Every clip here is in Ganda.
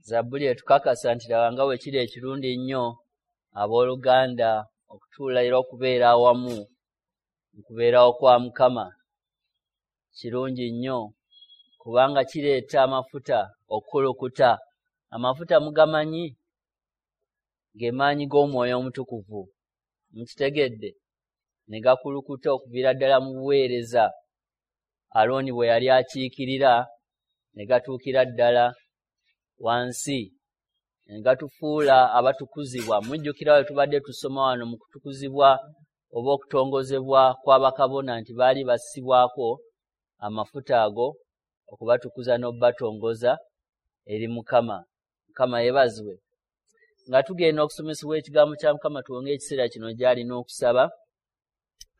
Zabbuli etukakasa nti laba nga bwe kiri ekirungi ennyo abooluganda okutuula era okubeera awamu mu kubeerawo kwa Mukama. Kirungi nnyo kubanga kireeta amafuta okukulukuta. Amafuta mugamanyi ge maanyi g'Omwoyo Omutukuvu. Mukitegedde? Ne gakulukuta okuviira ddala mu buweereza Alooni bwe yali akiikirira, ne gatuukira ddala wansi, ne gatufuula abatukuzibwa. Mujjukira bwe tubadde tusoma wano mu kutukuzibwa oba okutongozebwa kw'abakabona nti baali bassibwako amafuta ago okubatukuza n'okubatongoza eri Mukama. Mukama yeebazibwe. Nga tugenda okusomesebwa ekigambo kya Mukama, tuwonge ekiseera kino gy'ali n'okusaba.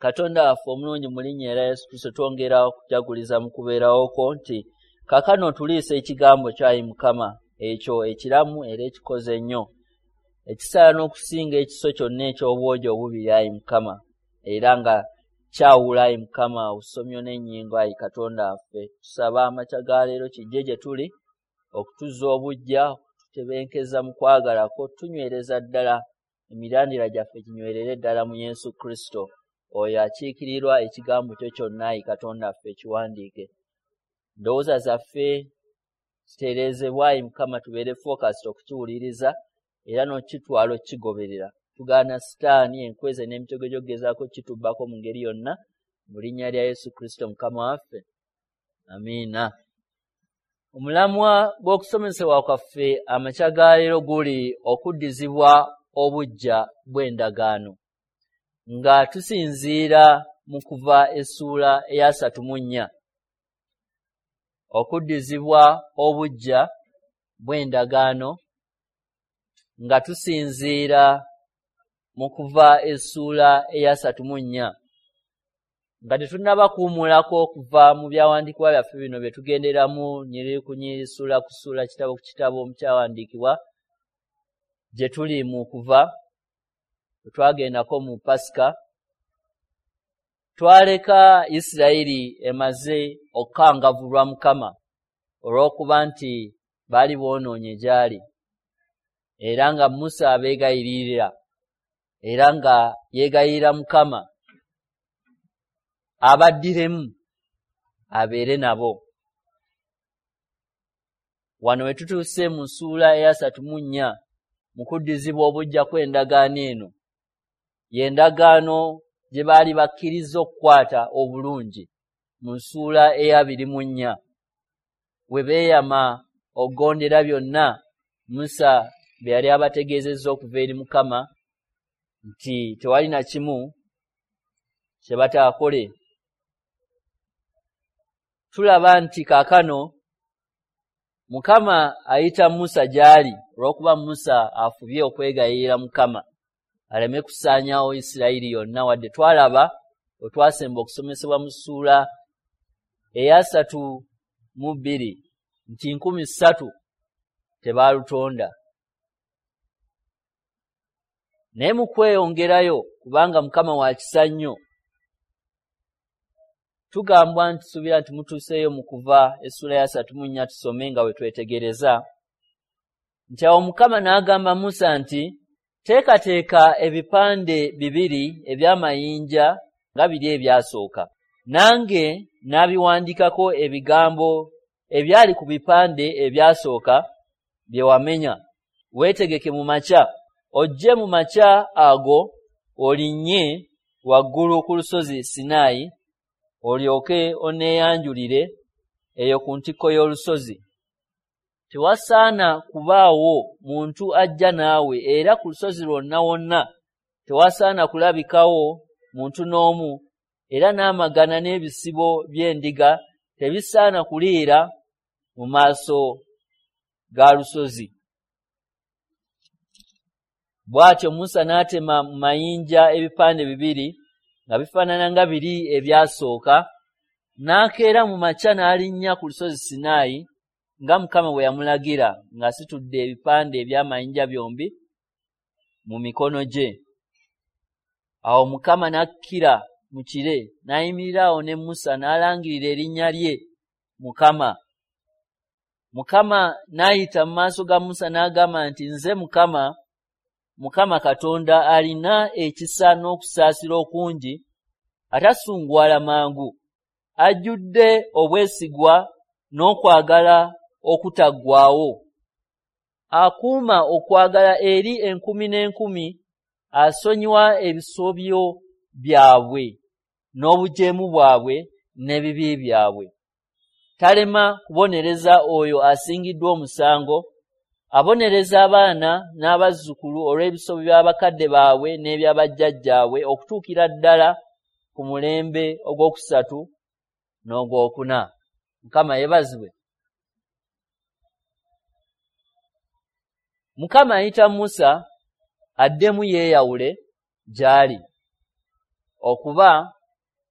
Katonda waffe omulungi, mu linnya erya Yesu Kristo twongera okujaguliza mu kubeerawo kwo nti kaakano otuliisa ekigambo kyo, ayi Mukama, ekyo ekiramu era ekikoze ennyo, ekisala n'okusinga ekiso kyonna eky'obwogi obubiri, ayi Mukama, era nga kyawula, ayi Mukama, obusomyo n'ennyingo, ayi Katonda waffe. Tusaba amakya ga leero kijje gye tuli okutuzza obuggya, okututebenkeza mu kwagala kwo, tunywereza ddala emirandira gyaffe ginywerere ddala mu Yesu Kristo, oyo akiikirirwa ekigambo kyo kyonna, ayi Katonda waffe, ekiwandiike. Ndowooza zaffe zitereezebwa, ayi Mukama, tubeere focused okukiwuliriza era n'okukitwala okukigoberera. Tugaana Sitaani, enkweze n'emitego gy'okugezaako kitubbako mu ngeri yonna, mu linnya lya Yesu Kristo Mukama waffe. Amiina. Omulamwa gw'okusomesebwa kwaffe amakya ga leero guli okuddizibwa obuggya bw'endagaano, nga tusinziira mu kuva essuula ey'asatu mu nnya. Okuddizibwa obuggya bw'endagaano nga tusinziira mu kuva essuula ey'asatu mu nnya. Nga tetunnaba kuwummulako okuva mu byawandiikibwa byaffe bino bye tugenderamu nnyiriri ku nnyiriri, ssuula ku ssuula, kitabo ku kitabo mu kyawandiikibwa gye tuli mu kuva, bwe twagendako mu Pasika, twaleka Isirayiri emaze okukangavvulwa Mukama olw'okuba nti baali boonoonye gy'ali, era nga Musa abeegayiririra, era nga yeegayirira Mukama abaddiremu abeere nabo. Wano we tutuuse mu ssuula ey'asatu mu nnya mu kuddizibwa obuggya kw'endagaano eno, y'endagaano gye baali bakkirizza okukwata obulungi mu ssuula ey'abiri mu nnya, we beeyama okugondera byonna Musa bye yali abategeezezza okuva eri Mukama nti tewali na kimu kye bataakole. Tulaba nti kaakano Mukama ayita Musa gy'ali olw'okuba Musa afubye okwegayirira Mukama aleme kusaanyaawo Isirayiri yonna, wadde twalaba bwe twasemba okusomesebwa mu ssuula ey'asatu mu bbiri nti 3,000 tebaalutonda. Naye mu kweyongerayo, kubanga Mukama wa kisa nnyo, tugambwa nti tusuubira nti mutuuseeyo mu kuva essuula y'asatu mu nnya, tusome nga bwe twetegereza nti awo Mukama n'agamba Musa nti teekateeka ebipande bibiri eby'amayinja nga biri ebyasooka, nange n'abiwandiikako ebigambo ebyali ku bipande ebyasooka bye wamenya. Weetegeke mu makya, ojje mu makya ago olinnye waggulu ku lusozi Sinaayi, olyoke onneeyanjulire eyo ku ntikko y'olusozi. Tewasaana kubaawo muntu ajja naawe, era ku lusozi lwonna wonna tewasaana kulabikawo muntu n'omu, era n'amagana n'ebisibo by'endiga tebisaana kuliira mu maaso ga lusozi. Bw'atyo Musa n'atema mu mayinja ebipande bibiri nga bifaanana nga biri ebyasooka, n'akeera mu makya n'alinnya ku lusozi Sinaayi nga Mukama bwe yamulagira, ng'asitudde ebipande eby'amayinja byombi mu mikono gye. Awo Mukama n'akkira mu kire, n'ayimirira awo ne Musa n'alangirira erinnya lye Mukama. Mukama n'ayita mu maaso ga Musa n'agamba nti, nze Mukama, Mukama Katonda alina ekisa n'okusaasira okungi, atasunguwala mangu, ajjudde obwesigwa n'okwagala okutaggwaawo, akuuma okwagala eri enkumi n'enkumi, asonyiwa ebisobyo byabwe n'obujeemu bwabwe n'ebibi byabwe. Talema kubonereza oyo asingiddwa omusango, abonereza abaana n'abazzukulu olw'ebisobyo by'abakadde baabwe n'ebyabajjajjaabwe okutuukira ddala ku mulembe ogwokusatu n'ogwokuna. Mukama yeebazibwe. Mukama ayita Musa addemu yeeyawule gy'ali, okuba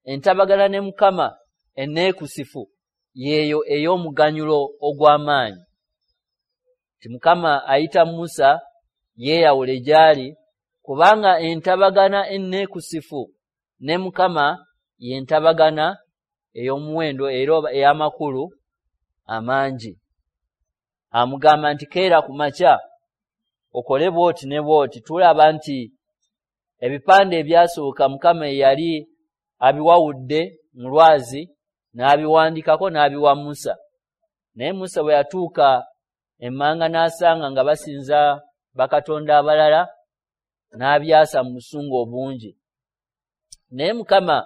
entabagana ne Mukama enneekusifu yeeyo ey'omuganyulo ogw'amaanyi. Ti Mukama ayita Musa yeeyawule gy'ali, kubanga entabagana enneekusifu ne Mukama y'entabagana ey'omuwendo era ey'amakulu amangi. Amugamba nti keera ku makya okole bw'oti ne bw'oti. Tulaba nti ebipande ebyasooka Mukama yali abiwawudde mu lwazi n'abiwandikako n'abiwa Musa. Naye Musa bwe yatuuka emmanga n'asanga nga basinza bakatonda abalala, n'abyasa mu busungu obungi. Naye Mukama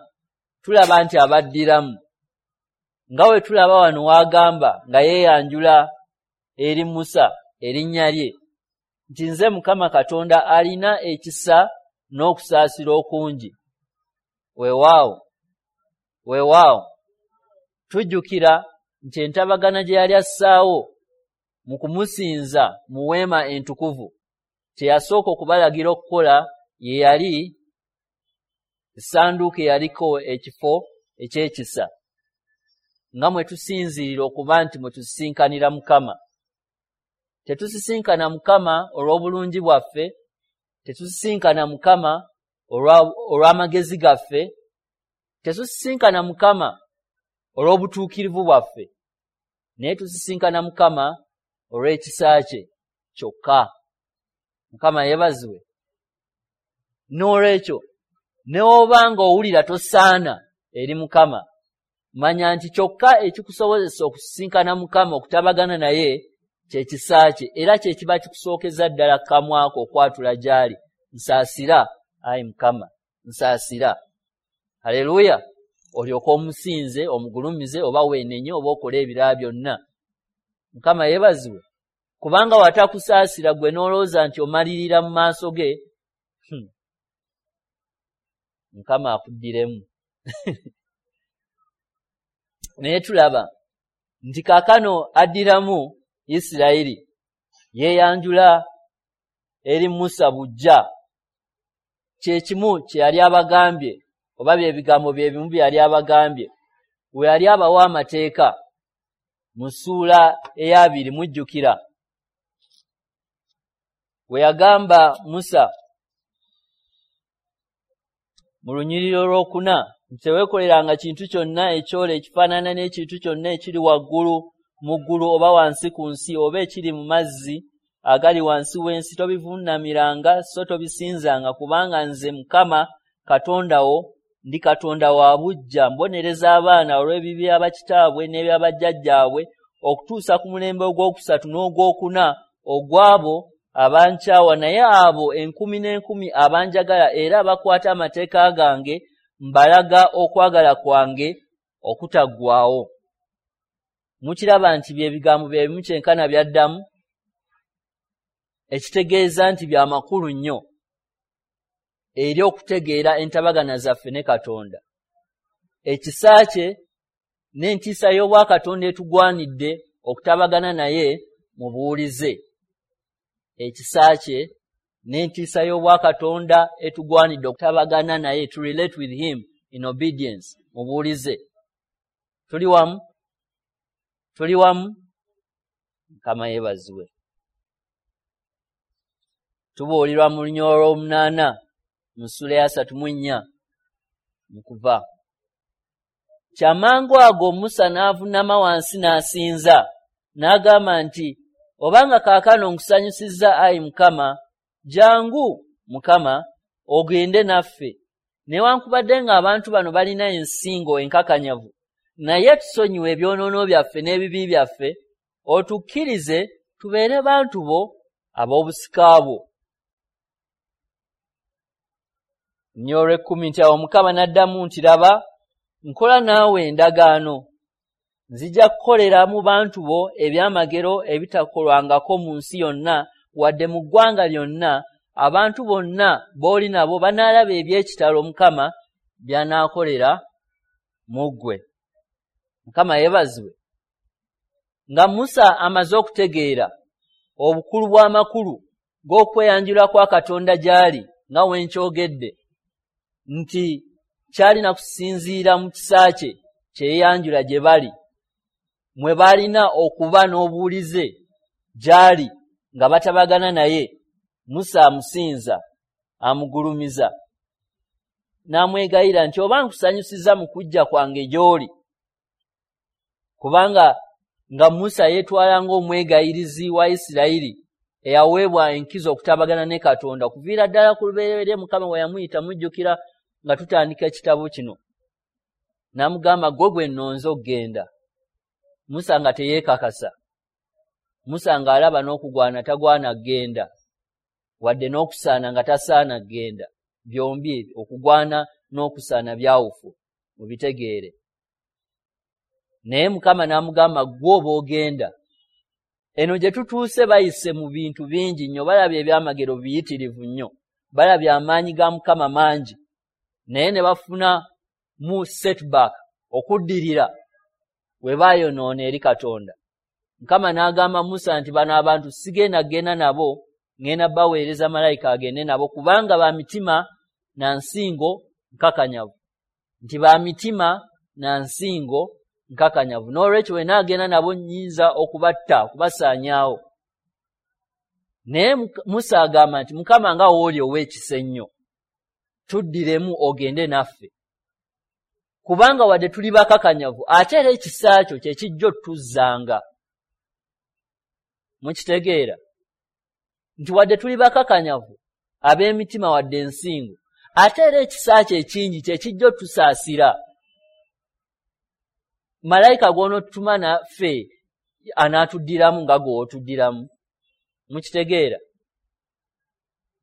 tulaba nti abaddiramu, nga we tulaba wano w'agamba nga yeeyanjula eri Musa erinnya lye nti nze Mukama Katonda alina ekisa n'okusaasira okungi. Weewaawo, weewaawo, tujjukira nti entabagana gye yali assaawo mu kumusinza mu weema entukuvu, kye yasooka okubalagira okukola ye yali essanduuko eyaliko ekifo eky'ekisa, nga mwe tusinziirira okuba nti mwe tusisinkanira Mukama. Tetusisinkana Mukama olw'obulungi bwaffe, tetusisinkana Mukama olw'amagezi gaffe, tetusisinkana Mukama olw'obutuukirivu bwaffe, naye tusisinkana Mukama olw'ekisa kye kyokka. Mukama yeebazibwe. N'olwekyo ne bw'oba ng'owulira tosaana eri Mukama, manya nti kyokka ekikusobozesa okusisinkana Mukama, okutabagana naye, kyekisa kye, era kye kiba kikusookeza ddala kamwako okwatula gy'ali. Nsaasira, ayi Mukama, nsaasira. Haleluya! Olyoke omusinze, omugulumize, oba weenenye, oba okole ebirala byonna. Mukama yeebazibwe. Kubanga watakusaasira gwe n'olowooza nti omalirira mu maaso ge, Mukama akuddiremu. Naye tulaba nti kaakano addiramu Isirayiri, yeeyanjula eri Musa buggya. Kye kimu kye yali abagambye, oba bye bigambo bye bimu bye yali abagambye we yali abawa amateeka mu ssuula ey'abiri. Mujjukira we yagamba Musa mu lunyiriri olwokuna nti teweekoleranga kintu kyonna ekyole ekifaanana n'ekintu kyonna ekiri waggulu mu ggulu oba wansi ku nsi oba ekiri mu mazzi agali wansi w'ensi, tobivuunamiranga so tobisinzanga, kubanga nze Mukama Katonda wo ndi Katonda wa buggya, mbonereza abaana olw'ebibi bya bakitaabwe n'ebyabajjajjaabwe okutuusa ku mulembe ogwokusatu n'ogwokuna ogw'abo abankyawa, naye abo enkumi n'enkumi abanjagala era abakwata amateeka gange mbalaga okwagala kwange okutaggwaawo. Mukiraba nti bye bigambo bye bimu kyenkana byaddamu, ekitegeeza nti bya makulu nnyo eri okutegeera entabagana zaffe ne Katonda. Ekisa kye n'entiisa y'obwakatonda etugwanidde okutabagana naye mu buwulize. Ekisa kye n'entiisa y'obwakatonda etugwanidde okutabagana naye, to relate with him in obedience, mu buwulize. Tuli wamu? Tuli wamu? Mukama yeebazibwe. Tubuulirwa mu lunyiriri olw'omunaana mu ssuula eya 34 mu Kuva. Kyamangu ago Musa n'avuunama wansi n'asinza. N'agamba nti, obanga kaakano nkusanyusizza ayi Mukama, jangu Mukama ogende naffe. Newankubadde ng'abantu bano balina ensingo enkakanyavu, naye tusonyiwe ebyonoono byaffe n'ebibi byaffe, otukkirize tubeere bantu bo ab'obusika bwo. Nnyo olw'ekkumi nti awo Mukama n'addamu nti, laba, nkola naawe endagaano. Nzija kukolera mu bantu bo ebyamagero ebitakolwangako mu nsi yonna, wadde mu ggwanga lyonna. Abantu bonna b'oli nabo banaalaba eby'ekitalo Mukama by'anaakolera mu ggwe. Mukama yeebazibwe. Nga Musa amaze okutegeera obukulu bw'amakulu g'okweyanjula kwa Katonda gy'ali, nga we nkyogedde nti kyalina kusinziira mu kisa kye kye yeeyanjula gye bali, mwe baalina okuba n'obuwulize gy'ali nga batabagana naye. Musa amusinza, amugulumiza, n'amwegayira nti, oba nkusanyusiza mu kujja kwange gy'oli. Kubanga nga Musa yeetwala ng'omwegayirizi wa Isirayiri eyaweebwa enkizo okutabagana ne Katonda okuviira ddala ku lubereberye Mukama we yamuyita, mujjukira nga tutandika ekitabo kino, n'amugamba, ggwe gwe nnonze okugenda. Musa nga teyeekakasa. Musa ng'alaba n'okugwana tagwana kugenda, wadde n'okusaana nga tasaana kugenda. Byombi okugwana n'okusaana byawufu, mubitegeere. Naye Mukama n'amugamba, ggwe oba ogenda. Eno gye tutuuse bayise mu bintu bingi nnyo, balabye ebyamagero biyitirivu nnyo, balabye amaanyi ga Mukama mangi, naye ne bafuna mu setback, okuddirira, we baayonoona eri Katonda. Mukama n'agamba Musa nti, bano abantu sigenda kugenda nabo, ngenda baweereza malayika agende nabo, kubanga ba mitima na nsingo nkakanyavu. Nti ba mitima na nsingo nkakanyavu. N'olwekyo we naagenda nabo nnyinza okubatta, okubasaanyaawo. Naye Musa agamba nti, Mukama nga w'oli ow'ekisa ennyo, tuddiremu ogende naffe. Kubanga wadde tuli bakakanyavu, ate era ekisa kyo kye kijja otuzzanga. Mukitegeera nti wadde tuli bakakanyavu ab'emitima wadde ensingo, ate era ekisa kyo ekingi kye kijja otusaasira. Malayika gw'onootutuma naffe anaatuddiramu nga gw'otuddiramu. Mukitegeera?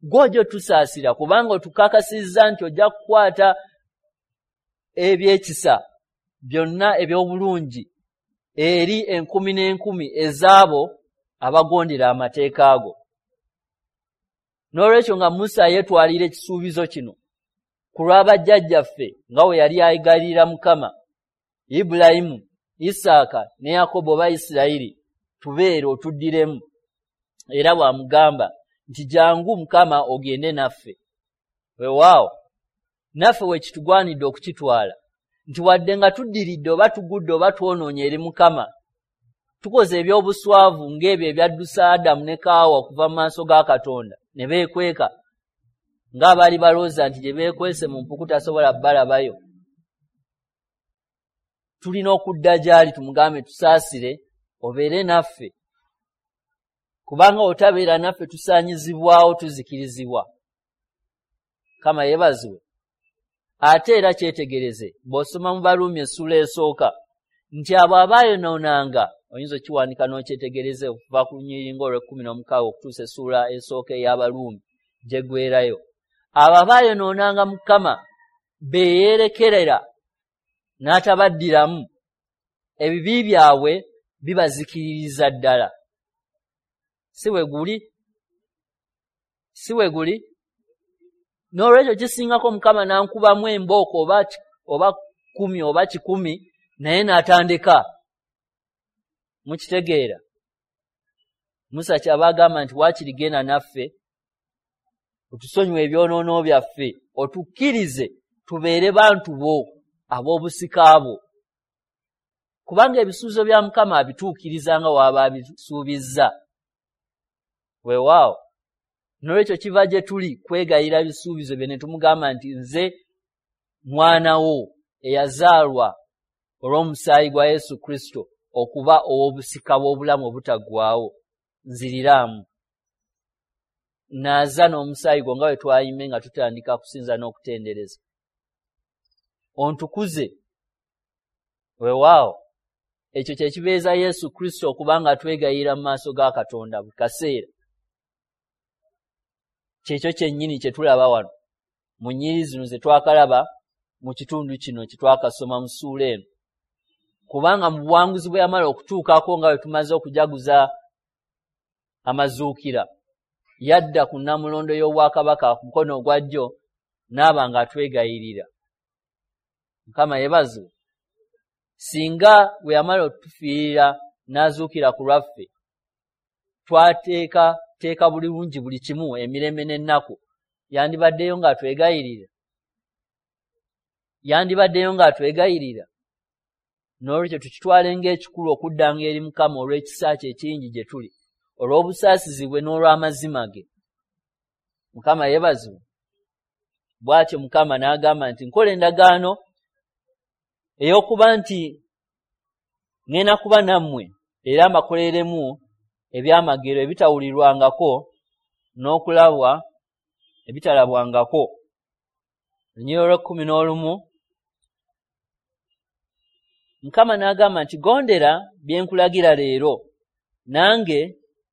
Gw'ojja otusaasira, kubanga otukakasizza nti ojja kukwata ebyekisa byonna eby'obulungi eri enkumi n'enkumi ez'abo abagondera amateeka ago. N'olwekyo nga Musa yeetwalira ekisuubizo kino ku lw'abajjajjaffe nga we yali ayigalira Mukama, Ibulayimu, Isaaka ne Yakobo oba Isirayiri, tubeere otuddiremu. Era bw'amugamba nti, jangu Mukama ogende naffe. Weewaawo, naffe we kitugwanidde okukitwala nti wadde nga tuddiridde oba tugudde oba twonoonye eri Mukama, tukoze eby'obuswavu ng'ebyo ebyaddusa Adamu ne Kaawa okuva mu maaso ga Katonda ne beekweka, ng'abaali balowooza nti gye beekwese mu mpuku tasobola bbalabayo. Tulina okudda gy'ali tumugambe, tusaasire obeere naffe, kubanga otabeera naffe tusaanyizibwawo, tuzikirizibwa. Mukama yeebazibwe. Ate era kyetegereze bw'osoma mu Baruumi essuula esooka nti abo abaayonoonanga, oyinza okiwandika n'okyetegereze okuva ku lunyiriri ng'olw'ekkumi n'omukaga okutuusa essuula esooka ey'Abaruumi gyeggweerayo. Abo abaayonoonanga Mukama beeyerekerera n'atabaddiramu, ebibi byabwe bibazikiririza ddala. Si bwe guli? Si bwe guli? N'olwekyo kisingako Mukama n'ankubamu embooko oba 10 oba 100, naye n'atandeka. Mukitegeera? Musa kyava agamba nti, waakiri genda naffe, otusonyiwe ebyonoono byaffe, otukkirize tubeere bantu bo ab'obusika bwo. Kubanga ebisuubizo bya Mukama abituukiriza nga w'aba abisuubizza. Weewaawo. N'olwekyo kiva gye tuli kwegayira bisuubizo bye ne tumugamba nti, nze mwana wo eyazaalwa olw'omusaayi gwa Yesu Kristo. okuba ow'obusika bw'obulamu obutaggwaawo, nziriraamu. Naaza n'omusaayi gwo nga bwe twayimbe nga tutandika kusinza n'okutendereza. Ontukuze. Weewaawo, ekyo kye kibeeza Yesu Kristo okuba nga twegayirira mu maaso ga Katonda buli kaseera. Kyekyo kyennyini kye tulaba wano mu nnyiriri zino ze twakalaba mu kitundu kino kye twakasoma mu ssuula eno. Kubanga mu buwanguzi bwe yamala okutuukako nga bwe tumaze okujaguza amazuukira, yadda ku nnamulondo y'obwakabaka ku mukono ogwa ddyo n'aba ng'atwegayirira. Mukama yeebazibwe. Singa bwe yamala otufiirira n'azuukira ku lwaffe, twateeka bulungi buli kimu emirembe n'ennaku, yandibaddeyo ng'atwegayirira. Yandibaddeyo ng'atwegayirira. N'olwekyo tukitwale ng'ekikulu okuddanga eri Mukama olw'ekisa kye ekingi gye tuli, olw'obusaasizi bwe n'olw'amazima ge. Mukama yeebazibwe. Bw'atyo Mukama n'agamba nti nkola endagaano ey'okuba nti ŋŋenda kuba nammwe era mbakoleremu ebyamagero ebitawulirwangako n'okulabwa ebitalabwangako. Olunyiriri olw'ekkumi n'olumu, Mukama n'agamba nti gondera bye nkulagira leero, nange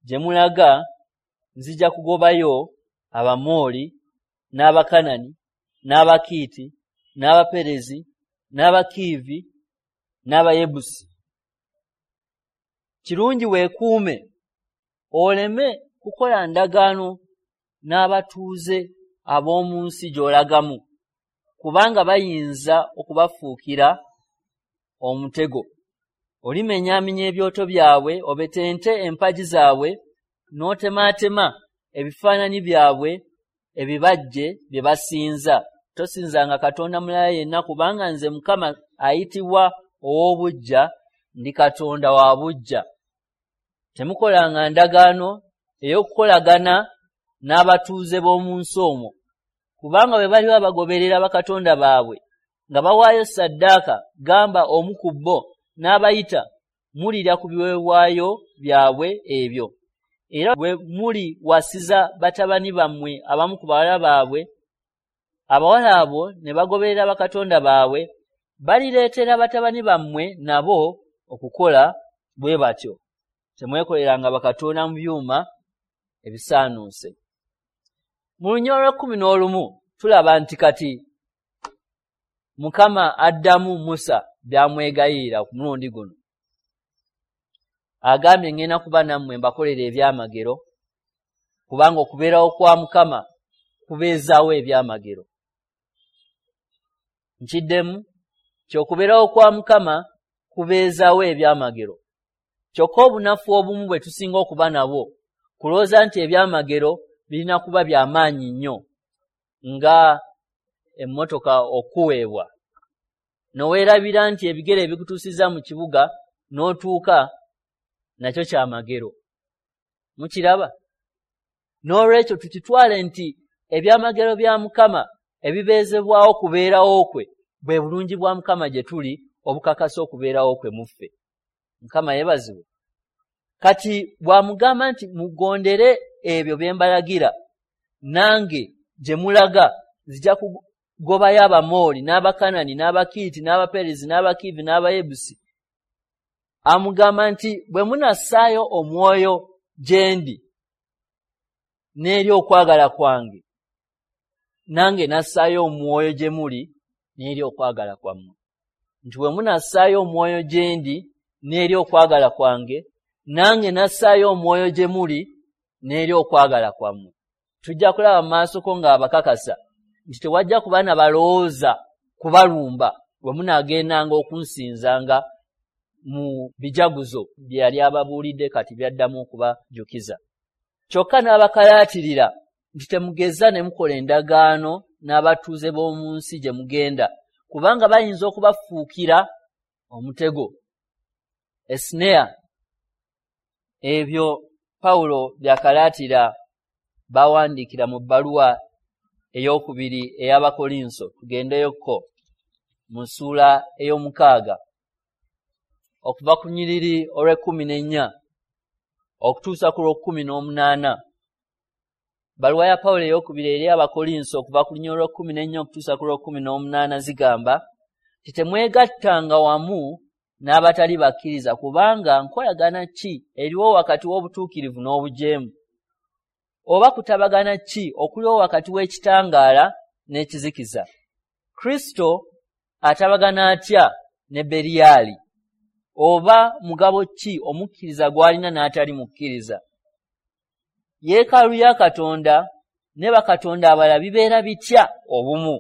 gye mulaga nzija kugobayo Abamooli n'Abakanani n'Abakiiti n'Abaperezi n'Abakiivi n'Abayebusi. Kirungi weekuume oleme kukola ndagaano n'abatuuze ab'omu nsi gy'olagamu, kubanga bayinza okubafuukira omutego. Olimenyaamenya ebyoto byabwe, obetente empagi zaabwe, n'otemaatema ebifaananyi byabwe ebibajje bye basinza. Tosinzanga katonda mulala yenna, kubanga nze Mukama ayitibwa ow'obuggya, ndi Katonda wa buggya. Temukolanga ndagaano ey'okukolagana n'abatuuze b'omu nsi omwo, kubanga bwe baliba bagoberera bakatonda baabwe nga bawaayo ssaddaaka, gamba omu ku bo n'abayita, mulirya ku biweebwayo byabwe ebyo. Era bwe muliwasiza batabani bammwe abamu ku bawala baabwe, abawala abo ne bagoberera bakatonda baabwe, balireetera batabani bammwe nabo okukola bwe batyo. Temwekoleranga bakatonda mu byuma ebisaanuuse. Mu lunyiriri olw'ekkumi n'olumu tulaba nti kati Mukama addamu Musa by'amwegayirira ku mulundi guno. Agambye ŋŋenda kuba nammwe mbakolere ebyamagero, kubanga okubeerawo kwa Mukama kubeezaawo ebyamagero. Nkiddemu nti okubeerawo kwa Mukama kubeezaawo ebyamagero. Kyokka obunafu obumu bwe tusinga okuba nabwo kulowooza nti ebyamagero birina kuba bya maanyi nnyo nga emmotoka okuweebwa. Noweerabira nti ebigere ebikutuusizza mu kibuga n'otuuka nakyo kyamagero. Mukiraba? N'olwekyo tukitwale nti ebyamagero bya Mukama ebibeezebwawo kubeerawo kwe bwe bulungi bwa Mukama gye tuli obukakasa okubeerawo kwe mu ffe. Mukama yeebazibwe. Kati bw'amugamba nti mugondere ebyo bye mbalagira, nange gye mulaga nzija kugobayo Abamooli n'Abakanani n'Abakiiti n'Abaperezi n'Abakiivi n'Abayebusi. Amugamba nti bwe munassaayo omwoyo gye ndi n'eri okwagala kwange, nange nassaayo omwoyo gye muli n'eri okwagala kwammwe. Nti bwe munassaayo omwoyo gye ndi n'eri okwagala kwange, nange nassaayo omwoyo gye muli n'eri okwagala kwammwe. Tujja kulaba mu maasoko ng'abakakasa nti tewajja kuba na balowooza kubalumba bwe munaagendanga okunsinzanga mu bijaguzo bye yali ababuulidde kati byaddamu okubajjukiza. Kyokka n'abakalaatirira nti temugeza ne mukola endagaano n'abatuuze b'omu nsi gye mugenda, kubanga bayinza okubafuukira omutego. Esnea. Ebyo Pawulo by'akalaatira b'awandiikira mu bbaluwa ey'okubiri ey'Abakolinso. Tugendeyokko mu ssuula ey'omukaaga. okuva ku nyiriri olw'ekkumi n'ennya okutuusa ku lw'ekkumi n'omunaana. Baluwa ya Pawulo ey'okubiri eri Abakolinso, okuva ku lunyiriri olw'ekkumi n'ennya okutuusa ku lw'ekkumi n'omunaana, zigamba nti temwegattanga wamu n'abatali bakkiriza, kubanga nkolagana ki eriwo wakati w'obutuukirivu n'obujeemu? Oba kutabagana ki okuliwo wakati w'ekitangaala n'ekizikiza? Kristo atabagana atya ne Beriyali? Oba mugabo ki omukkiriza gw'alina n'atali mukkiriza? Yeekaalu ya Katonda ne bakatonda abalala bibeera bitya obumu?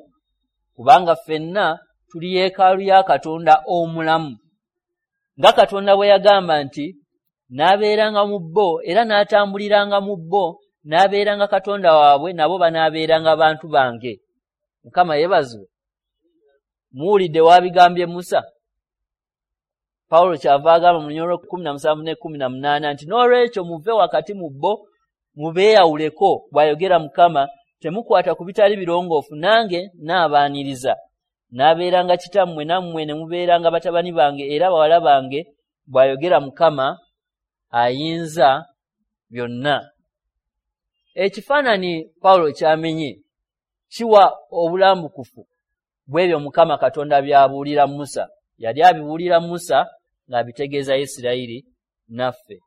Kubanga ffenna tuli yeekaalu ya Katonda omulamu, nga Katonda bwe yagamba nti, "N'abeeranga mu bo era n'atambuliranga mu bo, n'abeeranga Katonda waabwe, nabo banaabeeranga bantu bange." Mukama yeebazibwe. Muwulidde wabigambye Musa. Pawulo kyava agamba mu lunyiriri lw'e17 ne 18 nti, "N'olwekyo muve wakati mu bo, mubeeyawuleko, bw'ayogera Mukama, temukwata ku bitali birongoofu, nange naabaaniriza. Naabeeranga kitammwe, nammwe ne mubeeranga batabani bange era bawala bange, bw'ayogera Mukama ayinza byonna." Ekifaananyi Pawulo kyamenye kiwa obulambukufu bw'ebyo Mukama Katonda by'abuulira Musa. Yali abibuulira Musa ng'abitegeeza Isirayiri naffe.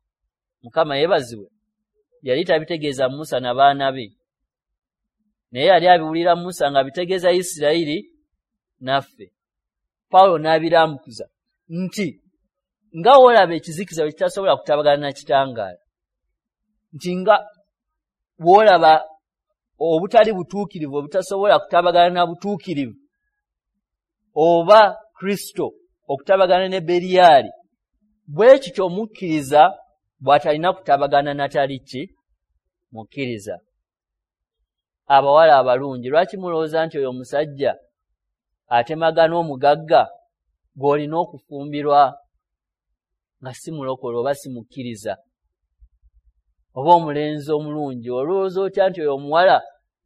Mukama yeebazibwe. Yali tabitegeeza Musa na baana be, naye yali abibuulira Musa ng'abitegeeza Isirayiri naffe. Pawulo n'abirambukuza nti nga woolaba ekizikiza bwe kitasobola kutabagana na kitangaala, nti nga bw'olaba obutali butuukirivu obutasobola kutabagana na butuukirivu, oba Kristo okutabagana ne Beriyali, bwe kityo omukkiriza bw'atalina kutabagana natali ki mukkiriza. Abawala abalungi, lwaki mulowooza nti oyo omusajja atemagana omugagga gw'olina okufumbirwa nga si mulokole oba si mukkiriza? Oba omulenzi omulungi, olowooza otya nti oyo omuwala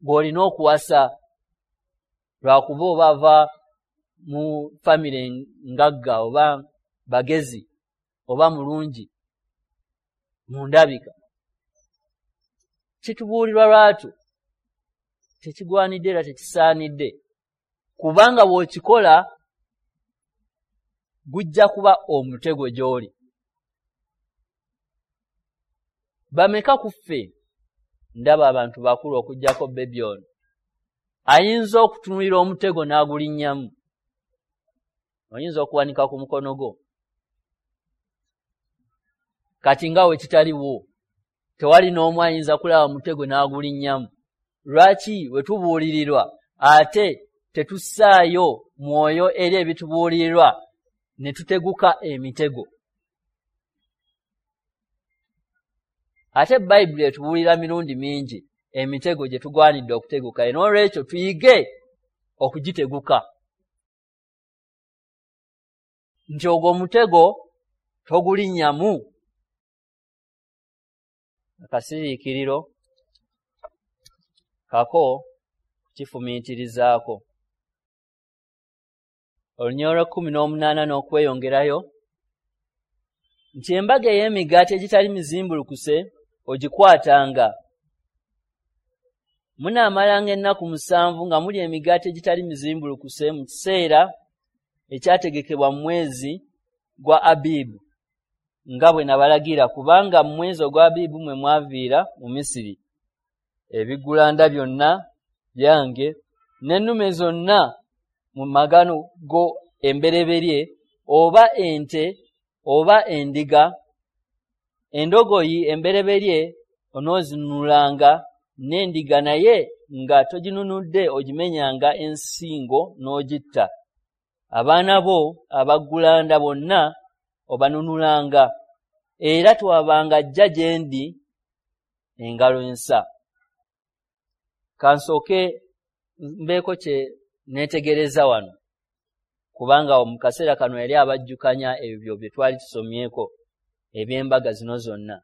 gw'olina okuwasa lwakuba oba ava mu famire ngagga oba bagezi oba mulungi mu ndabika? Kitubuulirwa lwatu, tekigwanidde era tekisaanidde, kubanga bw'okikola gujja kuba omutego gy'oli. Bameka ku ffe, ndaba abantu bakulu okuggyako baby ono, ayinza okutunulira omutego n'agulinnyamu? Oyinza okuwanika ku mukono gwo. Kati nga we kitaliwo, tewali n'omu ayinza kulaba mutego n'agulinnyamu. Lwaki we tubuulirirwa ate tetussaayo mwoyo eri ebitubuulirirwa ne tuteguka emitego? Ate Bayibuli etubuulira mirundi mingi emitego gye tugwanidde okuteguka, n'olwekyo tuyige okugiteguka, nti ogwo omutego togulinnyamu. Akasiriikiriro kako kukifumiitirizaako. Olunyiriri lw'e18 n'okweyongerayo nti, "Embaga ey'Emigaati Egitali Mizimbulukuse ogikwatanga. Munaamalanga ennaku 7 nga mulya emigaati egitali mizimbulukuse mu kiseera ekyategekebwa mu mwezi gwa Abibu, nga bwe nabalagira, kubanga mu mwezi ogwa Abibu mwe mwaviira mu Misiri. Ebiggulanda byonna byange, n'ennume zonna mu magano go embereberye, oba ente oba endiga, endogoyi embereberye onoozinunulanga, n'endiga naye nga toginunudde ogimenyanga ensingo n'ogitta. Abaana bo abaggulanda bonna obanunulanga, era tewabanga ajja gye ndi engalo ensa." Kansooke mbeeko kye neetegereza wano, kubanga mu kaseera kano yali abajjukanya ebyo bye twali tusomyeko eby'embaga zino zonna.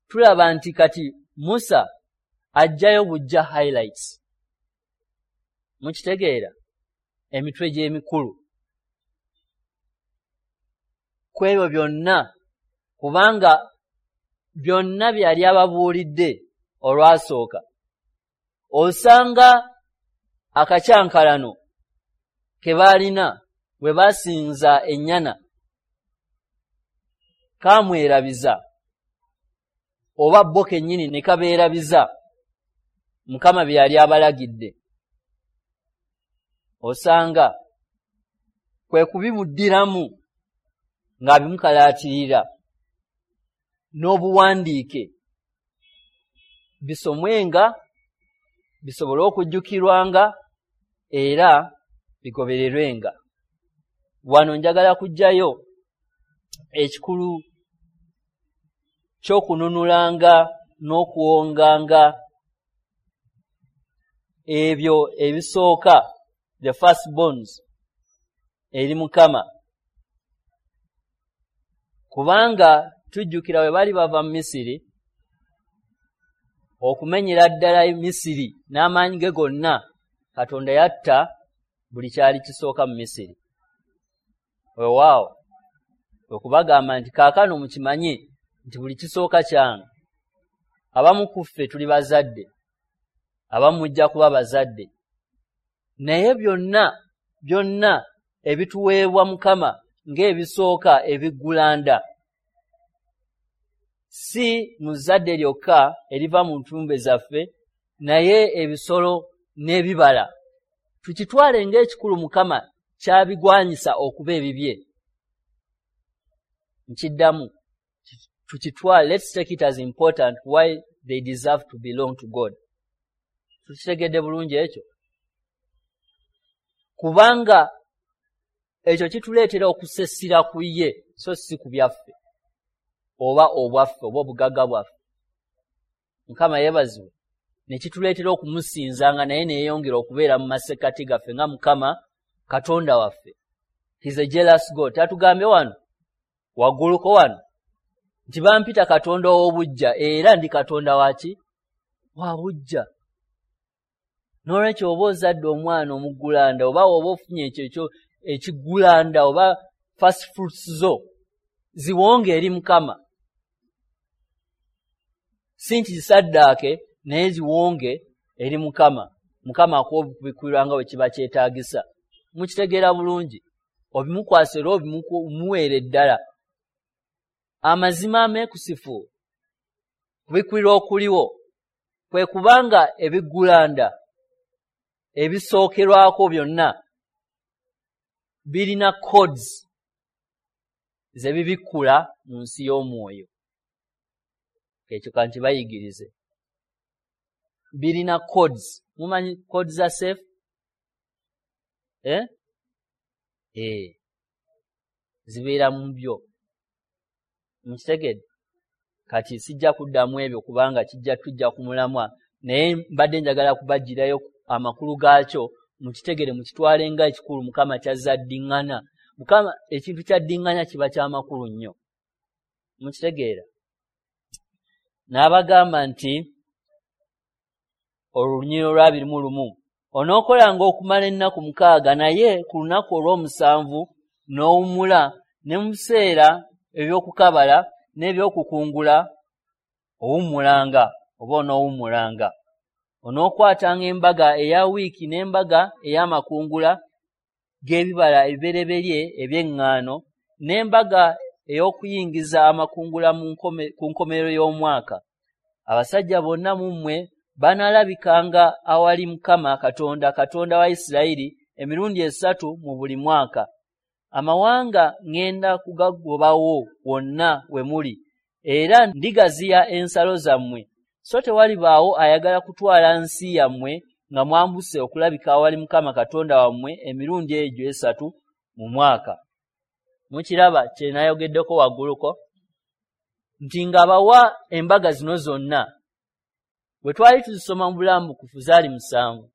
Tulaba nti kati Musa ajjayo bujja highlights, mukitegeera, emitwe gy'emikulu. ku ebyo byonna, kubanga byonna bye yali ababuulidde olwasooka. Osanga akakyankalano ke baalina bwe basinza ennyana kamwerabiza, oba bo kennyini ne kabeerabiza Mukama bye yali abalagidde. Osanga kwe kubimuddiramu ng'abimukalaatirira n'obuwandiike, bisomwenga, bisobole okujjukirwanga era bigobererwenga. Wano njagala kuggyayo ekikulu ky'okununulanga n'okuwonganga ebyo ebisooka, the first borns, eri Mukama. Kubanga tujjukira bwe bali bava mu Misiri, okumenyera ddala Misiri n'amaanyi ge gonna, Katonda yatta buli kyali kisooka mu Misiri. Weewaawo, kwe kubagamba nti kaakano mukimanye nti buli kisooka kyange. Abamu ku ffe tuli bazadde, abamu mujja kuba bazadde, naye byonna byonna ebituweebwa Mukama ng'ebisooka ebiggulanda, si mu zzadde lyokka eriva mu ntumbe zaffe, naye ebisolo n'ebibala, tukitwale ng'ekikulu Mukama kyabigwanyisa okuba ebibye. Nkiddamu, tukitwale, let's take it as important why they deserve to belong to God. Tukitegedde bulungi ekyo? Kubanga ekyo kituleetera okusessira ku ye, so si ku byaffe oba obwaffe oba obugagga bwaffe. Mukama yeebazibwe. Ne kituleetera okumusinzanga, naye neeyongera okubeera mu masekkati gaffe nga Mukama Katonda waffe. He's a jealous God. Tatugambye wano wagguluko wano nti bampita Katonda ow'obuggya, era ndi Katonda waki? Wa buggya. N'olwekyo oba ozadde omwana omuggulanda, oba oba ofunye ekyo ekiggulanda oba first fruits zo, ziwonge eri Mukama. Si nti zisaddaake, naye ziwonge eri Mukama. Mukama akuwa okubikkulirwa nga bwe kiba kyetaagisa. Mukitegeera bulungi, obimukwasa era obimuweere ddala. Amazima ameekusifu kubikkulirwa okuliwo kwe kubanga ebiggulanda ebisookerwako byonna birina codes ze bibikkula mu nsi y'omwoyo. Ekyo ka nkibayigirize. Birina codes. Mumanyi codes za safe? Zibeera mu byo. Mukitegedde? Kati sijja kuddamu ebyo kubanga kijja tujja ku mulamwa, naye mbadde njagala kubaggyirayo amakulu gaakyo, mukitegere, mukitwale nga ekikulu Mukama ky'azze addiŋŋana. Mukama ekintu ky'addiŋŋanya kiba kya makulu nnyo. Mukitegeera? N'abagamba nti olunyiriri olwa 21, onookolanga okumala ennaku 6, naye ku lunaku olw'omusanvu n'owummula, ne mu biseera eby'okukabala n'eby'okukungula owummulanga oba onoowummulanga. Onookwatanga embaga eya wiiki n'embaga ey'amakungula g'ebibala ebibereberye eby'eŋŋaano, n'embaga ey'okuyingiza amakungula ku nkomerero y'omwaka. Abasajja bonna mu mmwe banaalabikanga awali Mukama Katonda, Katonda wa Isirayiri, emirundi 3 mu buli mwaka. Amawanga ŋŋenda kugagobawo wonna we muli, era ndigaziya ensalo zammwe, so tewalibaawo ayagala kutwala nsi yammwe nga mwambuse okulabika awali Mukama Katonda wammwe emirundi egyo 3 mu mwaka. Mukiraba kye nayogeddeko wagguluko nti ng'abawa embaga zino zonna, bwe twali tuzisoma mu bulambukufu zaali 7,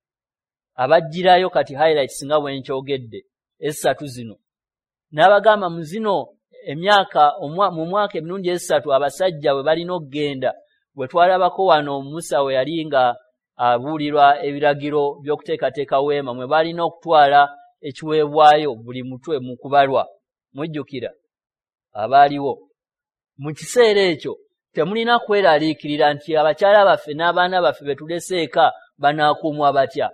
abaggyirayo kati highlights nga bwe nkyogedde 3 zino. N'abagamba mu zino emyaka mu mwaka emirundi 3 abasajja bwe balina okugenda, bwe twalabako wano Musa we yali nga abuulirwa ebiragiro by'okuteekateeka weema, mwe balina okutwala ekiweebwayo buli mutwe mu kubalwa. Mujjukira? abaaliwo. Mu kiseera ekyo temulina kweraliikirira nti abakyala baffe n'abaana baffe be tulese eka banaakuumwa batya,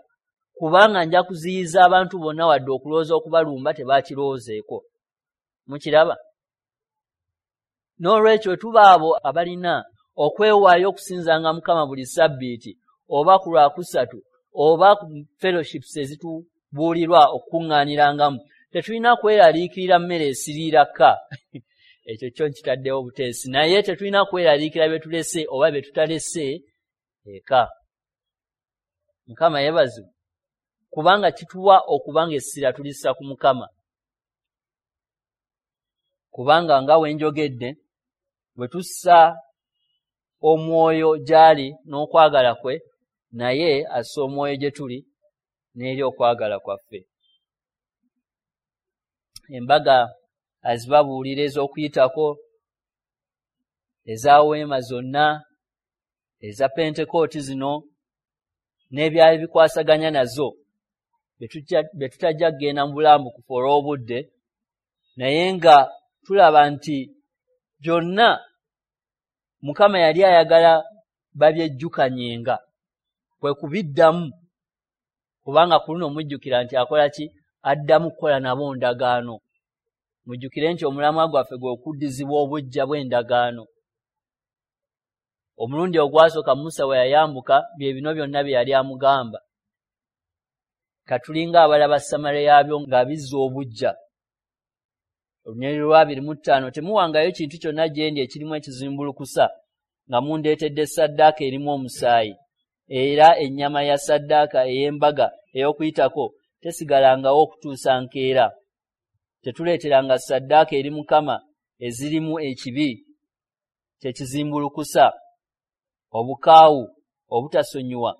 kubanga nja kuziyiza abantu bonna wadde okulowooza okubalumba tebakirowoozeeko. Mukiraba? N'olwekyo tuba abo abalina okwewaayo okusinzanga Mukama buli ssabbiiti oba ku Lwakusatu oba ku fellowships ezitubuulirwa okukuŋŋaanirangamu, tetulina kweraliikirira mmere esiriira kka. Ekyo kyo nkitaddewo buteesi, naye tetulina kweraliikira bye tulese oba bye tutalese eka. Mukama yeebazibwe, kubanga kituwa okubanga essira tulissa ku Mukama. Kubanga nga we njogedde, bwe tussa omwoyo gy'ali n'okwagala kwe, naye assa omwoyo gye tuli n'eri okwagala kwaffe. Embaga azibabuulira ez'okuyitako, eza weema zonna, eza Pentekooti zino n'ebyali bikwasaganya nazo, bye tutajja kugenda mu bulambukufu olw'obudde, naye nga tulaba nti byonna Mukama yali ayagala babyejjukanyenga, kwe kubiddamu, kubanga ku luno mujjukira nti akola ki? Addamu kukola nabo ndagaano. Mujjukire nti omulamwa gwaffe gwe okuddizibwa obuggya bw'endagaano. Omulundi ogwasooka Musa bwe yayambuka, bye bino byonna bye yali amugamba. Katulinga abalaba samale yaabyo nga bizza obuggya. Olunyiriri lwa 25, temuwangayo kintu kyonna gye ndi ekirimu ekizimbulukusa nga mundeetedde ssaddaaka erimu omusaayi, era ennyama ya ssaddaaka ey'embaga ey'okuyitako tesigalangawo okutuusa nkeera. Tetuleeteranga ssaddaaka eri Mukama ezirimu ekibi kyekizimbulukusa, obukaawu, obutasonyiwa,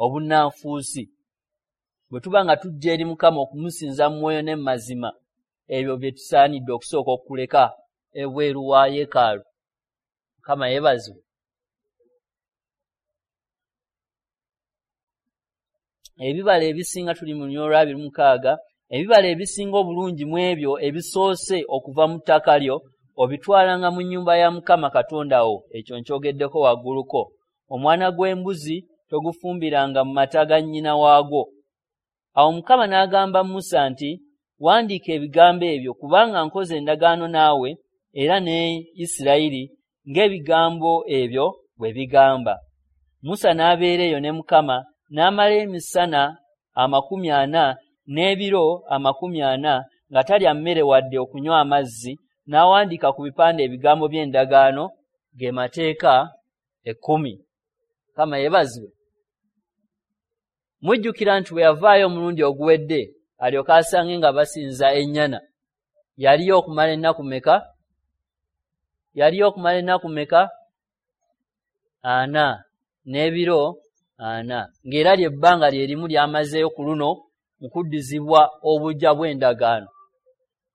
obunnanfuusi. Bwe tuba nga tujja eri Mukama okumusinza mu mwoyo ne mu mazima, ebyo bye tusaanidde okusooka okuleka ebweru wa yeekaalu. Mukama yeebazibwe. Ebibala ebisinga, tuli mu lunyiriri lwa 26, ebibala ebisinga obulungi mu ebyo ebisoose okuva mu ttaka lyo obitwalanga mu nnyumba ya Mukama Katonda wo. Ekyo nkyogeddeko wagguluko. Omwana gw'embuzi togufumbiranga mu mata ga nnyina waagwo. Awo Mukama n'agamba Musa nti, wandiika ebigambo ebyo, kubanga nkoze endagaano naawe era ne Isirayiri ng'ebigambo ebyo bwe bigamba. Musa n'abeera eyo ne Mukama n'amala emisana 40 n'ebiro 40 nga talya mmere wadde okunywa amazzi, n'awandiika ku bipande ebigambo by'endagaano, ge mateeka 10. Mukama yeebazibwe. Mujjukira nti bwe yavaayo omulundi oguwedde alyoke asange nga basinza ennyana, yaliyo okumala ennaku meka? Yaliyo okumala ennaku meka? 40 n'ebiro 40, ng'era lyebbanga lye limu ly'amazeeyo ku luno mu kuddizibwa obuggya bw'endagaano.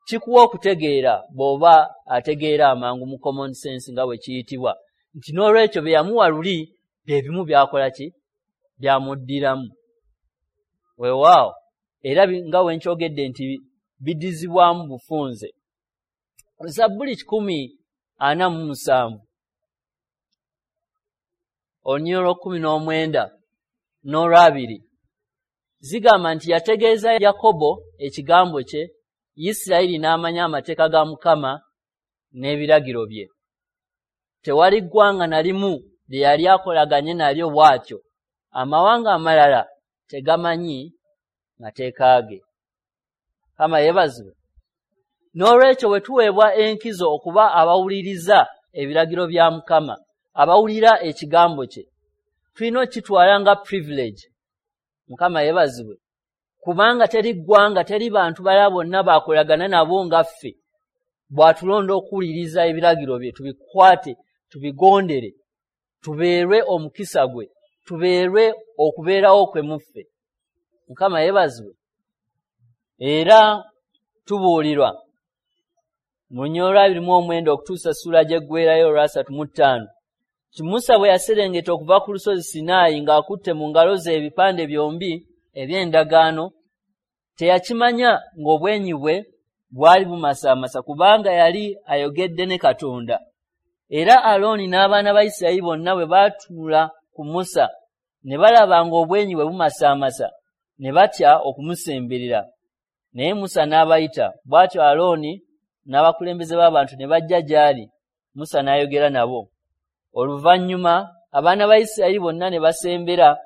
Kikuwa okutegeera bw'oba ategeera amangu mu common sense nga bwe kiyitibwa, nti n'olwekyo bye yamuwa luli bye bimu byakola ki? Byamuddiramu. Weewaawo, era nga we nkyogedde nti biddizibwamu bufunze. Zabbuli 147 olunyiriri lwa 19 n'olwabiri zigamba nti yategeeza Yakobo ekigambo kye, Isirayiri n'amanya amateeka ga Mukama n'ebiragiro bye. Tewali ggwanga na limu lye yali akolaganye nalyo bw'atyo. Amawanga amalala tegamanyi mateeka ge. Mukama yeebazibwe. N'olwekyo bwe tuweebwa enkizo okuba abawuliriza ebiragiro bya Mukama, abawulira ekigambo kye, tulina okukitwala nga privilege. Mukama yeebazibwe. Kubanga teri ggwanga, teri bantu balala bonna bakolagana nabo nga ffe. Bw'atulonda okuwuliriza ebiragiro bye, tubikwate, tubigondere, tubeerwe omukisa gwe, tubeerwe okubeerawo kwe mu ffe. Mukama yeebazibwe. Era tubuulirwa mu lunyiriri lwa 29 okutuusa ssuula gy'eggweerayo olwa 35 nti Musa bwe yaserengeta okuva ku lusozi Sinaayi ng'akutte mu ngalo ze ebipande byombi eby'endagaano, teyakimanya ng'obwenyi bwe bwali bumasaamasa, kubanga yali ayogedde ne Katonda. Era Alooni n'abaana ba Isirayiri bonna bwe baatunula ku Musa ne balaba ng'obwenyi bwe bumasaamasa, ne batya okumusemberera. Naye Musa n'abayita. Bw'atyo Alooni n'abakulembeze b'abantu ne bajja gy'ali, Musa n'ayogera nabo. Oluvannyuma abaana ba Isirayiri bonna ne basembera,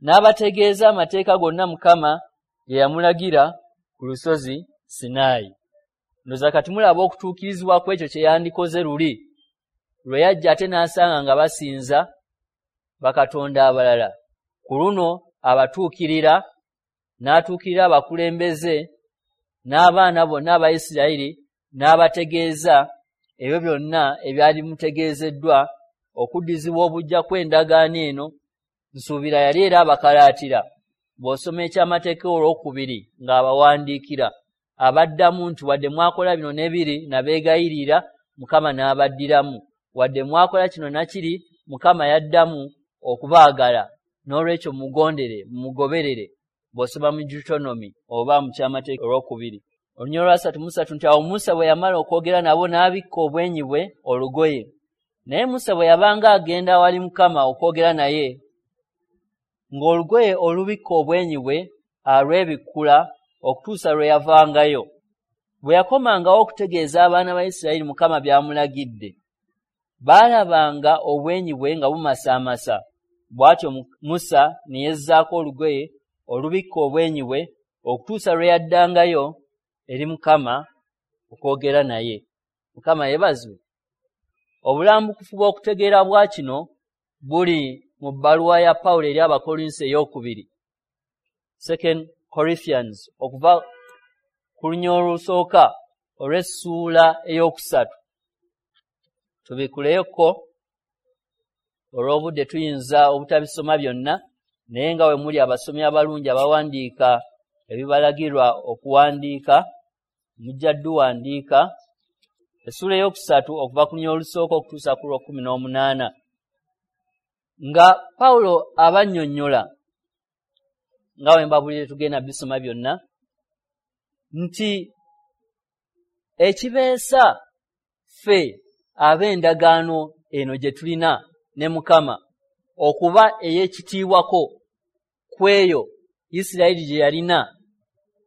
n'abategeeza amateeka gonna Mukama ge yamulagira ku lusozi Sinaayi. Ndowooza kati mulaba okutuukirizibwa kw'ekyo kye yandikoze luli lwe yajja ate n'asanga nga basinza bakatonda abalala. Ku luno abatuukirira, n'atuukirira abakulembeze n'abaana bonna aba Isirayiri, n'abategeeza ebyo byonna ebyali bimutegeezeddwa okuddizibwa obuggya kw'endagaano eno. Nsuubira yali era abakalaatira. Bw'osoma ekyamateeka olwokubiri ng'abawandiikira, abaddamu nti wadde mwakola bino ne biri nabeegayirira, Mukama n'abaddiramu. Wadde mwakola kino na kiri, Mukama yaddamu okubaagala. N'olwekyo mugondere, mumugoberere. Bw'osoma mu Deuteronomy oba mu kyamateeka olwokubiri. Olunyiriri lwa 33 nti awo Musa bwe yamala okwogera nabo n'abikka obwenyi bwe olugoye. Naye Musa bwe yabanga agenda awali Mukama okwogera naye, ng'olugoye olubikka obwenyi bwe alwebikkula okutuusa lwe yavangayo. Bwe yakomangawo okutegeeza abaana ba Isirayiri Mukama by'amulagidde, baalabanga obwenyi bwe nga bumasaamasa. Bw'atyo Musa ne yezzaako olugoye olubikka obwenyi bwe okutuusa lwe yaddangayo eri Mukama okwogera naye. Mukama yeebazibwe. Obulambukufu bw'okutegeera bwa kino buli mu bbaluwa ya Pawulo eri Abakolinso ey'okubiri, Second Corinthians, okuva ku lunyiriri olusooka olw'essuula 3. Tubikuleyoko olw'obudde tuyinza obutabisoma byonna, naye nga we muli abasomi abalungi abawandiika ebibalagirwa okuwandiika, mujja dduwandiika. Essuula 3 okuva ku lunyiriri olusooka okutuusa ku lwa 18, nga Pawulo abannyonnyola, nga we mbabulire tugenda bisoma byonna, nti ekibeesa ffe ab'endagaano eno gye tulina ne Mukama okuba ey'ekitiibwako kw'eyo Isirayiri gye yalina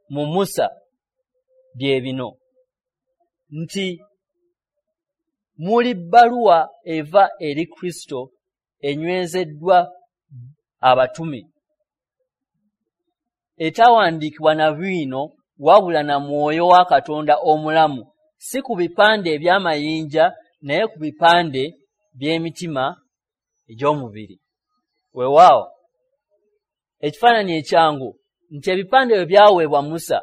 mu Musa bye bino, nti muli bbaluwa eva eri Kristo enywezeddwa abatume, etawandiikibwa na bwino wabula na mwoyo wa Katonda omulamu, si ku bipande eby'amayinja naye ku bipande by'emitima egy'omubiri. Weewaawo ekifaananyi ekyangu nti ebipande bwe byaweebwa Musa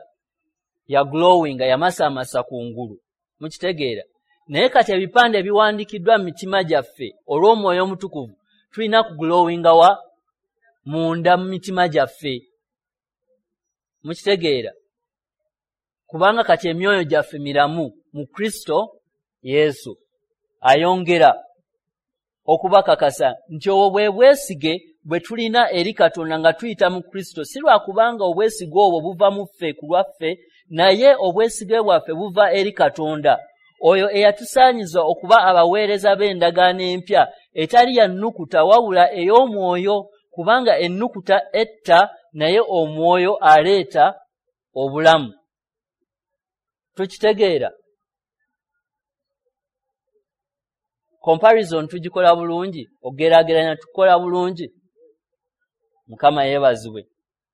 ya glowinga, yamasaamasa kungulu, mukitegeera. Naye kati ebipande ebiwandiikiddwa mu mitima gyaffe olw'omwoyo omutukuvu tulina ku glowinga wa munda mu mitima gyaffe, mukitegeera, kubanga kati emyoyo gyaffe miramu mu Kristo Yesu. Ayongera okubakakasa nti obwo bwe bwesige bwe tulina eri Katonda nga tuyita mu Kristo, si lwa kubanga obwesige obwo buva mu ffe ku lwaffe, naye obwesige bwaffe buva eri Katonda, oyo eyatusaanyiza okuba abaweereza b'endagaano empya etali ya nnukuta wabula ey'omwoyo, kubanga ennukuta etta naye omwoyo aleeta obulamu. Tukitegeera? Comparison tugikola bulungi, okugeraageranya tukola bulungi. Mukama yeebazibwe.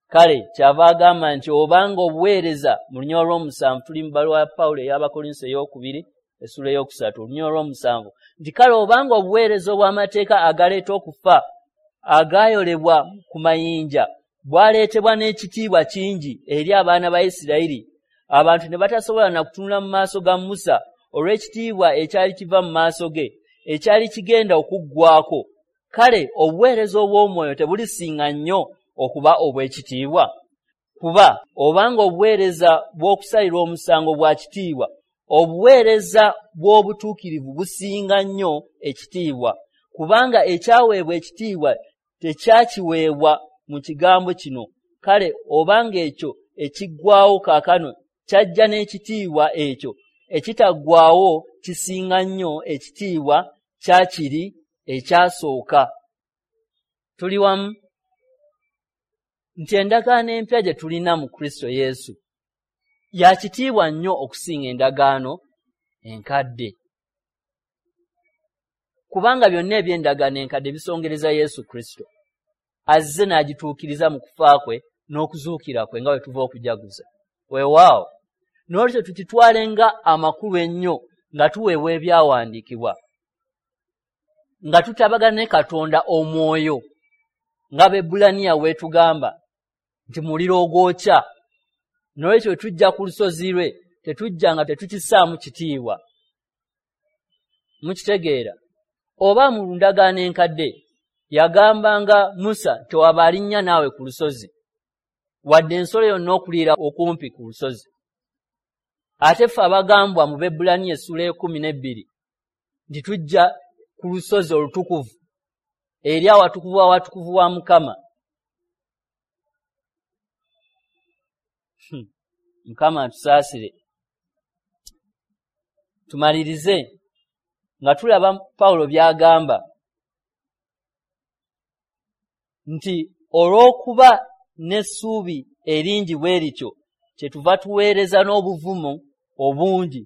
Kale kyava agamba nti obanga obuweereza mu lunyiriri olw'omusanvu, tuli mu bbaluwa ya Pawulo ey'Abakolinso ey'okubiri essuula 3, olunyiriri olw'omusanvu, nti kale obanga obuweereza obw'amateeka agaleeta okufa agaayolebwa ku mayinja bwaleetebwa n'ekitiibwa kingi eri abaana ba Isirayiri, abantu ne batasobola na kutunula mu maaso ga Musa olw'ekitiibwa ekyali kiva mu maaso ge, ekyali kigenda okuggwako. Kale obuweereza obw'omwoyo tebulisinga nnyo okuba obw'ekitiibwa? Kuba obanga obuweereza bw'okusalirwa omusango bwa kitiibwa, obuweereza bw'obutuukirivu businga nnyo ekitiibwa, kubanga ekyaweebwa ekitiibwa tekyakiweebwa mu kigambo kino. Kale obanga ekyo ekiggwawo kaakano Kyajja n'ekitiibwa ekyo ekitaggwaawo kisinga nnyo ekitiibwa kya kiri ekyasooka. Tuli wamu nti endagaano empya gye tulina mu Kristo Yesu ya kitiibwa nnyo okusinga endagaano enkadde, kubanga byonna eby'endagaano enkadde bisongereza Yesu Kristo azze n'agituukiriza mu kufa kwe n'okuzuukira kwe nga bwe tuva okujaguza. Weewaawo, n'olwekyo tukitwale nga amakulu ennyo nga tuweebwa ebyawandiikibwa, nga tutabagana ne Katonda omwoyo, nga Abaebbulaniya weetugamba nti muliro ogwokya. N'olwekyo tujja ku lusozi lwe, tetujja nga tetukissaamu kitiibwa. Mukitegeera? Oba mu ndagaano enkadde yagambanga Musa tewaba alinnya naawe ku lusozi, wadde ensolo yonna okuliira okumpi ku lusozi. Ate ffe abagambwa mu Baebbulaniya essula 12 nti tujja ku lusozi olutukuvu eri awatukuvu awatukuvu wa Mukama. Mukama atusaasire. Tumalirize nga tulaba Pawulo by'agamba nti olw'okuba n'essuubi eringi bwe lityo kyetuva tuweereza n'obuvumu obungi,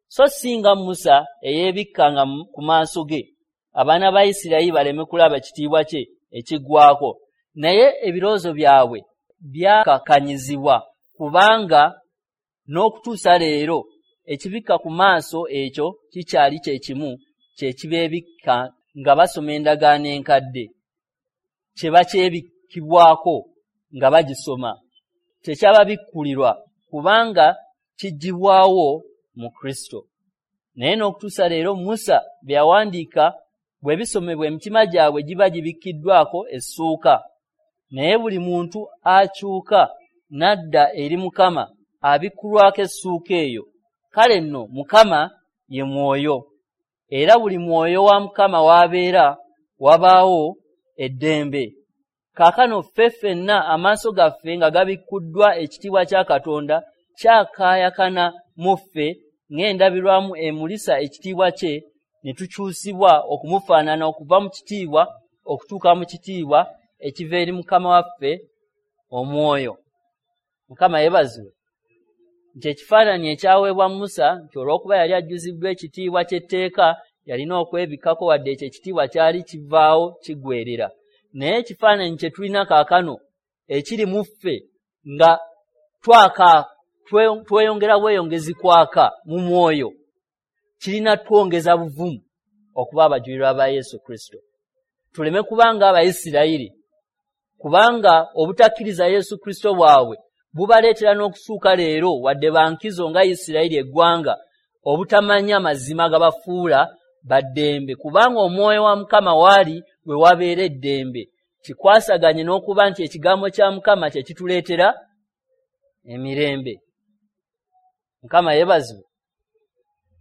so singa Musa eyeebikkanga ku maaso ge abaana ba Isirayiri baleme kulaba kitiibwa kye ekiggwaako. Naye ebirowoozo byabwe byakakanyizibwa, kubanga n'okutuusa leero ekibikka ku maaso ekyo kikyali kye kimu kye kibeebikka nga basoma endagaano enkadde, kye bakyebikkibwako nga bagisoma, tekyababikkulirwa kubanga kiggyibwawo mu Kristo. Naye n'okutuusa leero Musa bye yawandiika bwe bisomebwa emitima gyabwe giba gibikkiddwako essuuka. Naye buli muntu akyuka n'adda eri Mukama abikkulwako essuuka eyo. Kale nno Mukama ye mwoyo, era buli mwoyo wa Mukama w'abeera wabaawo eddembe. Kaakano ffe ffenna amaaso gaffe nga gabikkuddwa ekitiibwa kya Katonda kyakaayakana mu ffe ng'endabirwamu emulisa ekitiibwa kye, ne tukyusibwa okumufaanana okuva mu kitiibwa okutuuka mu kitiibwa ekiva eri Mukama waffe omwoyo. Mukama yeebazibwe nti ekifaananyi ekyaweebwa Musa nti olw'okuba yali ajjuziddwa ekitiibwa ky'etteeka yalina okwebikkako, wadde ekyo ekitiibwa kyali kivaawo kiggweerera. Naye ekifaananyi kye tulina kaakano ekiri mu ffe nga twaka tweyongera bweyongezi kwaka mu mwoyo, kirina twongeza buvumu okuba abajulirwa ba Yesu Kristo. Tuleme kubanga Abayisirayiri, kubanga obutakkiriza Yesu Kristo bwabwe bubaleetera n'okusuuka leero, wadde bankizo nga Isirayiri eggwanga, obutamanya mazima gabafuula baddembe, kubanga omwoyo wa Mukama waali we wabeera eddembe. Kikwasaganye n'okuba nti ekigambo kya Mukama kye kituleetera emirembe. Mukama yeebazibwe.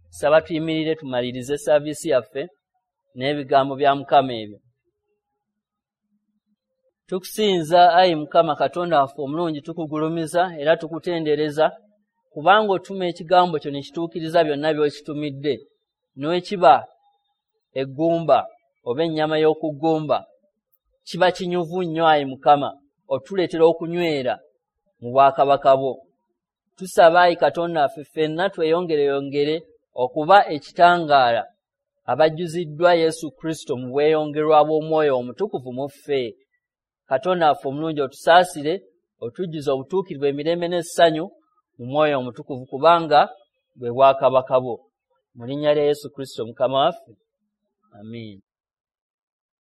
Saba tuyimirire tumalirize saaviisi yaffe n'ebigambo bya Mukama ebyo. Tukusinza ayi Mukama Katonda waffe omulungi, tukugulumiza era tukutendereza, kubanga otuma ekigambo kyo ne kituukiriza byonna by'okitumidde, n'ekiba eggumba oba ennyama y'okuggumba kiba kinyuvu nnyo ayi Mukama, otuleetera okunywera mu bwakabaka bwo. Tusaba ayi Katonda waffe ffenna tweyongereyongere okuba ekitangaala abajjuziddwa Yesu Kristo mu bweyongerwa bw'Omwoyo Omutukuvu mu ffe. Katonda waffe omulungi otusaasire, otujjuze obutuukirivu emirembe n'essanyu mu Mwoyo Omutukuvu, kubanga bwe bwakabaka bwo. Mu linnya lya Yesu Kristo Mukama waffe, amiina.